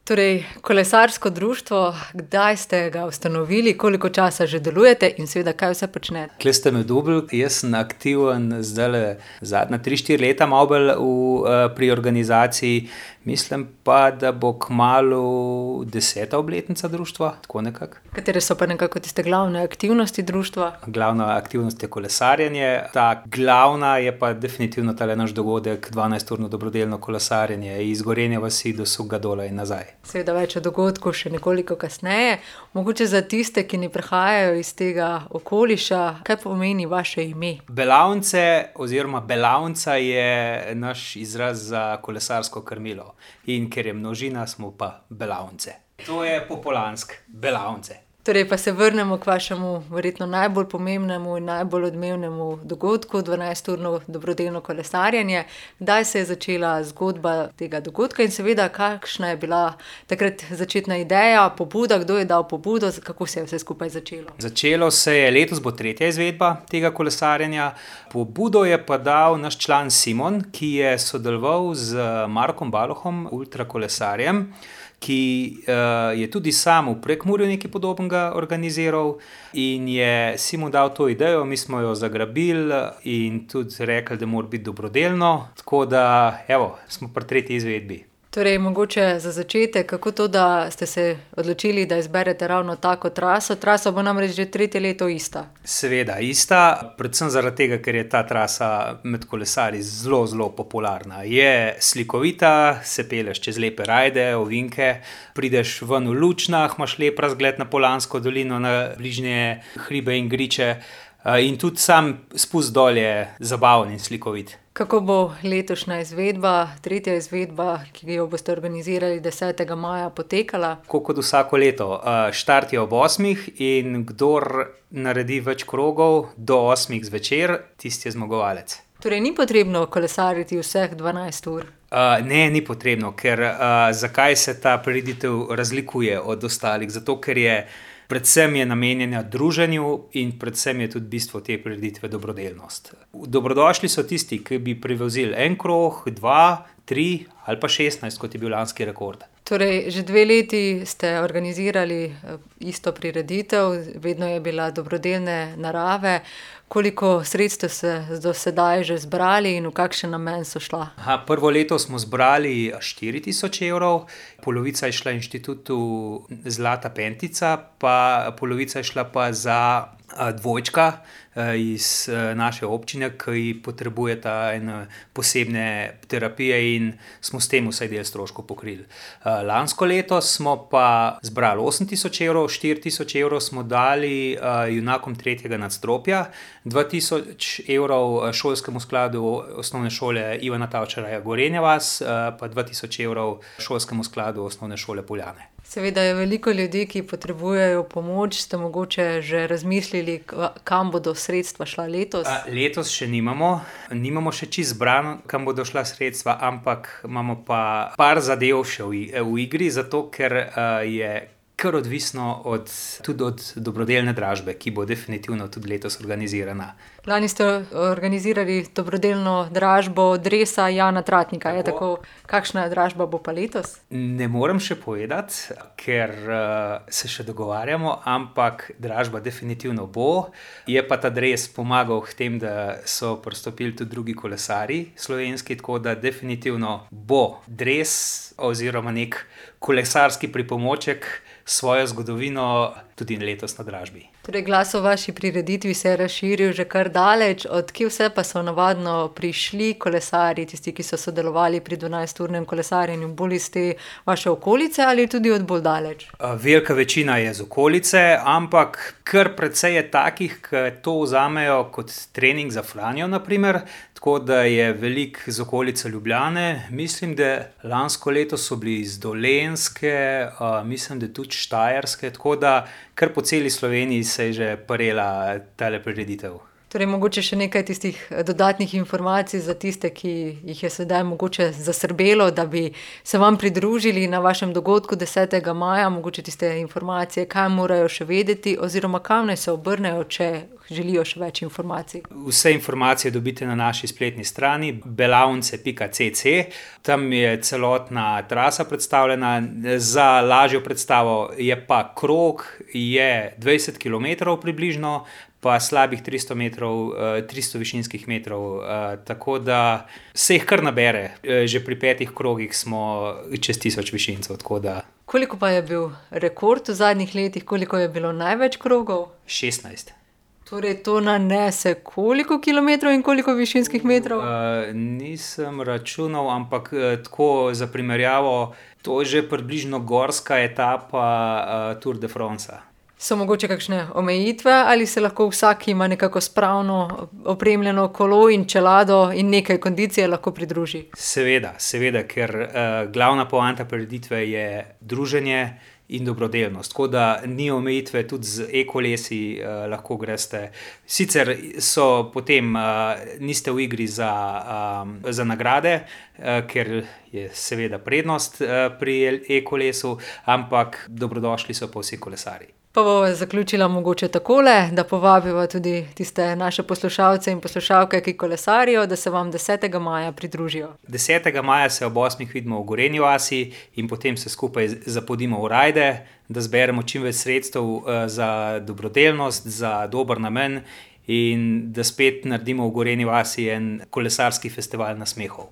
Torej, kolesarsko društvo, kdaj ste ga ustanovili, koliko časa že delujete in seveda, kaj vse počnete? Tule ste me dobili, jaz sem aktiven zdajle zadnja 3-4 leta malo bolj pri organizaciji. Mislim pa, da bo kmalu 10. obletnica društva, tako nekako. Katere so pa nekako tiste glavne aktivnosti društva? Glavna aktivnost je kolesarjenje, ta glavna je pa definitivno tale naš dogodek, 12-urno dobrodelno kolesarjenje iz Gorenje vasi do Suhega Dola in nazaj. Seveda več o dogodku še nekoliko kasneje. Mogoče za tiste, ki ne prihajajo iz tega okoliša, kaj pomeni vaše ime? Belavnice oziroma belavnica je naš izraz za kolesarsko krmilo. In ker je množina, smo pa belavnice. To je popularno, belavnice. Torej pa se vrnemo k vašemu verjetno najbolj pomembnemu in najbolj odmevnemu dogodku, 12-urno dobrodelno kolesarjenje. Kdaj se je začela zgodba tega dogodka in seveda, kakšna je bila takrat začetna ideja, pobuda, kdo je dal pobudo, kako se je vse skupaj začelo? Začelo se je, letos bo 3. izvedba tega kolesarjenja. Pobudo je pa dal naš član Simon, ki je sodeloval z Markom Balohom, ultrakolesarjem, ki je tudi sam v Prekmurju nekaj podobnega organiziral in je Simon dal to idejo, mi smo jo zagrabili in tudi rekli, da mora biti dobrodelno, tako da smo pri 3. izvedbi. Torej, mogoče za začetek, kako to, da ste se odločili, da izberete ravno tako traso? Trasa bo namreč že 3. leto ista. Seveda ista, predvsem zaradi tega, ker je ta trasa med kolesarji zelo, zelo popularna. Je slikovita, se pelješ čez lepe rajde, ovinke, prideš ven v Lučnah, imaš lep razgled na Poljansko dolino, na bližnje hribe in griče in tudi sam spust dol je zabaven in slikovit. Kako bo letošnja izvedba, 3. izvedba, ki jo boste organizirali 10. maja, potekala? Tako kot vsako leto. Štart je ob 8. in kdor naredi več krogov do 8. zvečer, tisti je zmagovalec. Torej, ni potrebno kolesariti vseh 12 ur? Ne, ni potrebno, ker zakaj se ta prireditev razlikuje od ostalih? Zato, ker je predvsem je namenjena druženju in predvsem je tudi bistvo te prireditve dobrodelnost. Dobrodošli so tisti, ki bi prevozili en krog, 2, 3 ali pa 16, kot je bil lanski rekord. Torej, že 2 leti ste organizirali isto prireditev, vedno je bila dobrodelne narave. Koliko sredstev ste do sedaj že zbrali in v kakšen namen so šla? Prvo leto smo zbrali 4.000 evrov, polovica je šla Inštitutu Zlata pentica, pa polovica je šla pa za dvojčka iz naše občine, ki potrebujeta posebne terapije in smo s tem vsaj del stroškov pokrili. Lansko leto smo pa zbrali 8.000 evrov, 4.000 evrov smo dali junakom 3. nadstropja, 2.000 evrov šolskemu skladu osnovne šole Ivana Tavčarja Gorenja vas, pa 2.000 evrov šolskemu skladu osnovne šole Poljane. Seveda je veliko ljudi, ki potrebujejo pomoč. Ste mogoče že razmislili, kam bodo sredstva šla letos? Letos še nimamo še čisto zbrano, kam bodo šla sredstva, ampak imamo pa par zadev še v igri, zato ker je kar odvisno tudi od dobrodelne dražbe, ki bo definitivno tudi letos organizirana. Lani ste organizirali dobrodelno dražbo dresa Jana Tratnika, je tako? Kakšna dražba bo pa letos? Ne morem še povedati, ker se še dogovarjamo, ampak dražba definitivno bo. Je pa ta dres pomagal k tem, da so pristopili tudi drugi kolesarji slovenski, tako da definitivno bo dres oziroma nek kolesarski pripomoček svojo zgodovino tudi letos na dražbi. Torej, glas o vaši prireditvi se je razširil že kar daleč. Od kje vse pa so navadno prišli kolesarji, tisti, ki so sodelovali pri 12-urnem kolesarjenju, bolj iz te vaše okolice ali tudi od bolj daleč? Velika večina je z okolice, ampak kar precej je takih, ki to vzamejo kot trening za Franjo, na primer. Tako da je veliko z okolice Ljubljane. Mislim, da lansko leto so bili iz Dolenjske, mislim, da tudi Štajerske, tako da kar po celi Sloveniji se je že parela tale prireditev. Torej, mogoče še nekaj tistih dodatnih informacij za tiste, ki jih je sedaj mogoče zasrbelo, da bi se vam pridružili na vašem dogodku 10. maja, mogoče tiste informacije, kaj morajo še vedeti oziroma kam naj se obrnejo, če želijo še več informacij. Vse informacije dobite na naši spletni strani belavnice.cc. Tam je celotna trasa predstavljena. Za lažjo predstavo je pa krog, je 20 km približno, pa slabih 300 metrov, 300 višinskih metrov, tako da se jih kar nabere. Že pri 5 krogih smo čez 1000 višincev, tako da. Koliko pa je bil rekord v zadnjih letih, koliko je bilo največ krogov? 16. Torej, to nanese koliko kilometrov in koliko višinskih metrov? Nisem računal, ampak tako za primerjavo, to je že približno gorska etapa Tour de France. So mogoče kakšne omejitve ali se lahko vsak, ki ima nekako spravno opremljeno kolo in čelado in nekaj kondicije, lahko pridruži? Seveda, ker glavna poanta prireditve je druženje in dobrodelnost. Tako da ni omejitve, tudi z e-kolesi lahko greste. Sicer so potem niste v igri za nagrade, ker je seveda prednost pri e-kolesu, ampak dobrodošli so pa vsi kolesarji. Pa bova zaključila mogoče takole, da povabiva tudi tiste naše poslušalce in poslušalke, ki kolesarijo, da se vam 10. maja pridružijo. 10. maja se ob 8. vidimo v Gorenji vasi in potem se skupaj zapodimo v rajde, da zberemo čim več sredstev za dobrodelnost, za dober namen in da spet naredimo v Gorenji vasi en kolesarski festival nasmehov.